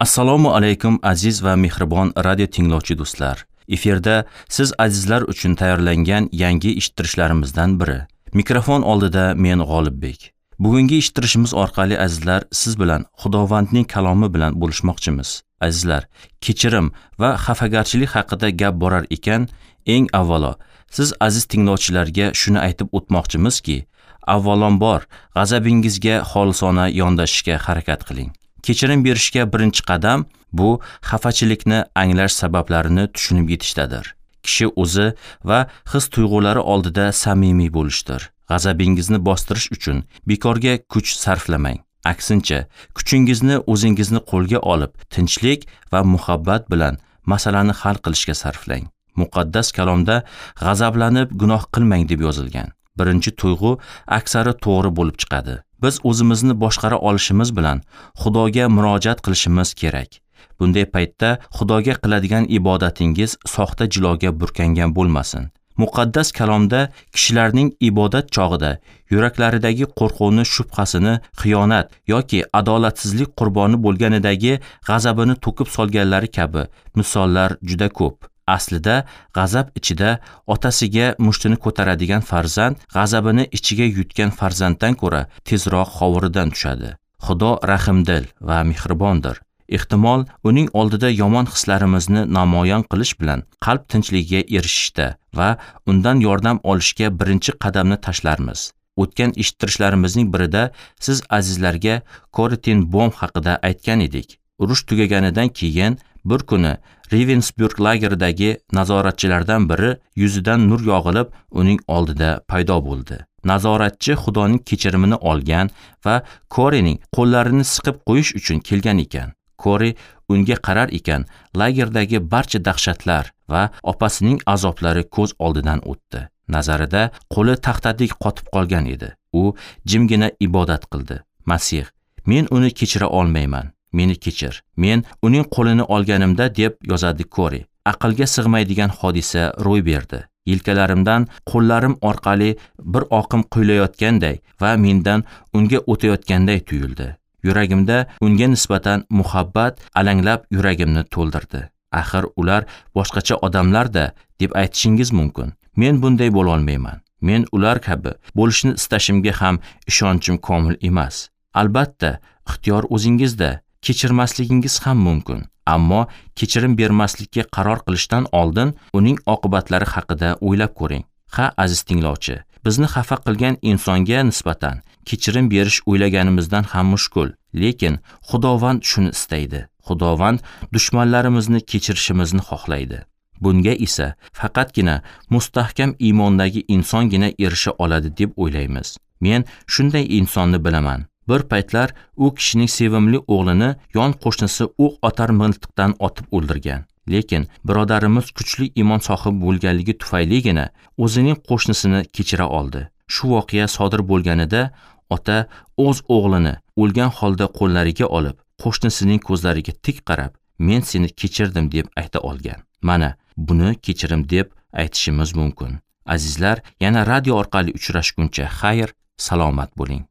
Assalomu alaykum aziz va mehribon radio tinglovchi do'stlar. Efirda siz azizlar uchun tayyorlangan yangi eshittirishlarimizdan biri. Mikrofon oldida men G'olibbek. Bugungi eshittirishimiz orqali azizlar siz bilan Xudovandning kalomi bilan bo'lishmoqchimiz. Azizlar, kechirim va xafagarchilik haqida gap borar ekan, eng avvalo siz aziz tinglovchilarga shuni aytib o'tmoqchimizki, avvalambor g'azabingizga xolisona yondashishga harakat qiling. Kechirim berishga birinchi qadam bu xafachilikni anglash sabablarini tushunib yetishdadir. Kishi o'zi va his tuyg'ulari oldida samimiy bo'lishdir. G'azabingizni bostirish uchun bekorga kuch sarflamang. Aksincha, kuchingizni o'zingizni qo'lga olib, tinchlik va muhabbat bilan masalani hal qilishga sarflang. Muqaddas kalomda g'azablanib gunoh qilmang deb yozilgan. Birinchi tuyg'u aksari to'g'ri bo'lib chiqadi. Biz o'zimizni boshqara olishimiz bilan Xudoga murojaat qilishimiz kerak. Bunday paytda Xudoga qiladigan ibodatingiz soxta jiloga burkangan bo'lmasin. Muqaddas kalomda kishilarning ibodat chog'ida yuraklaridagi qo'rquvni, shubhasini, xiyonat yoki adolatsizlik qurboni bo'lganidagi g'azabini to'kib solganlari kabi misollar juda ko'p. Aslida g'azab ichida otasiga mushtini ko'taradigan farzand g'azabini ichiga yutgan farzanddan ko'ra tezroq hovuridan tushadi. Xudo rahimdil va mehribondir. Ehtimol uning oldida yomon hislarimizni namoyon qilish bilan qalb tinchligiga erishishda va undan yordam olishga birinchi qadamni tashlarmiz. O'tgan eshittirishlarimizning birida siz azizlarga Corrie ten Boom haqida aytgan edik. Urush tugaganidan keyin bir kuni Ravensbrück lageridagi nazoratchilardan biri yuzidan nur yog'ilib uning oldida paydo bo'ldi. Nazoratchi Xudoning kechirimini olgan va Corriening qo'llarini siqib qo'yish uchun kelgan ekan. Corrie unga qarar ekan, lagerdagi barcha dahshatlar va opasining azoblari ko'z oldidan o'tdi. Nazarida qo'li taxtadek qotib qolgan edi. U jimgina ibodat qildi. Masih, men uni kechira olmayman. Meni kechir. Men uning qo'lini olganimda, deb yozadi Corrie, aqlga sig'maydigan hodisa ro'y berdi. Yelkalarimdan qo'llarim orqali bir oqim quylayotganday va mendan unga o'tayotganday tuyuldi. Yuragimda unga nisbatan muhabbat alanglab yuragimni to'ldirdi. Axir ular boshqacha odamlar-da, deb aytishingiz mumkin. Men bunday bo'la olmayman. Men ular kabi bo'lishni istashimga ham ishonchim komil emas. Albatta, ixtiyor o'zingizda. Kechirmasligingiz ham mumkin, ammo kechirim bermaslikka qaror qilishdan oldin uning oqibatlari haqida o'ylab ko'ring. Ha, aziz tinglovchi, bizni xafa qilgan insonga nisbatan kechirim berish o'ylaganimizdan ham mushkul, lekin Xudovand shuni istaydi. Xudovand dushmanlarimizni kechirishimizni xohlaydi. Bunga esa faqatgina mustahkam iymondagi insongina erisha oladi deb o'ylaymiz. Men shunday insonni bilaman. Bir paytlar u kishining sevimli o'g'lini yon qo'shnisi o'q otar miltiqdan otib o'ldirgan. Lekin birodarimiz kuchli iymon sohibi bo'lganligi tufayligina o'zining qo'shnisini kechira oldi. Shu voqea sodir bo'lganida ota o'z o'g'lini o'lgan holda qo'llariga olib, qo'shnisining ko'zlariga tik qarab, "Men seni kechirdim" deb ayta olgan. Mana buni kechirim deb aytishimiz mumkin. Azizlar, yana radio orqali uchrashguncha xayr, salomat bo'ling.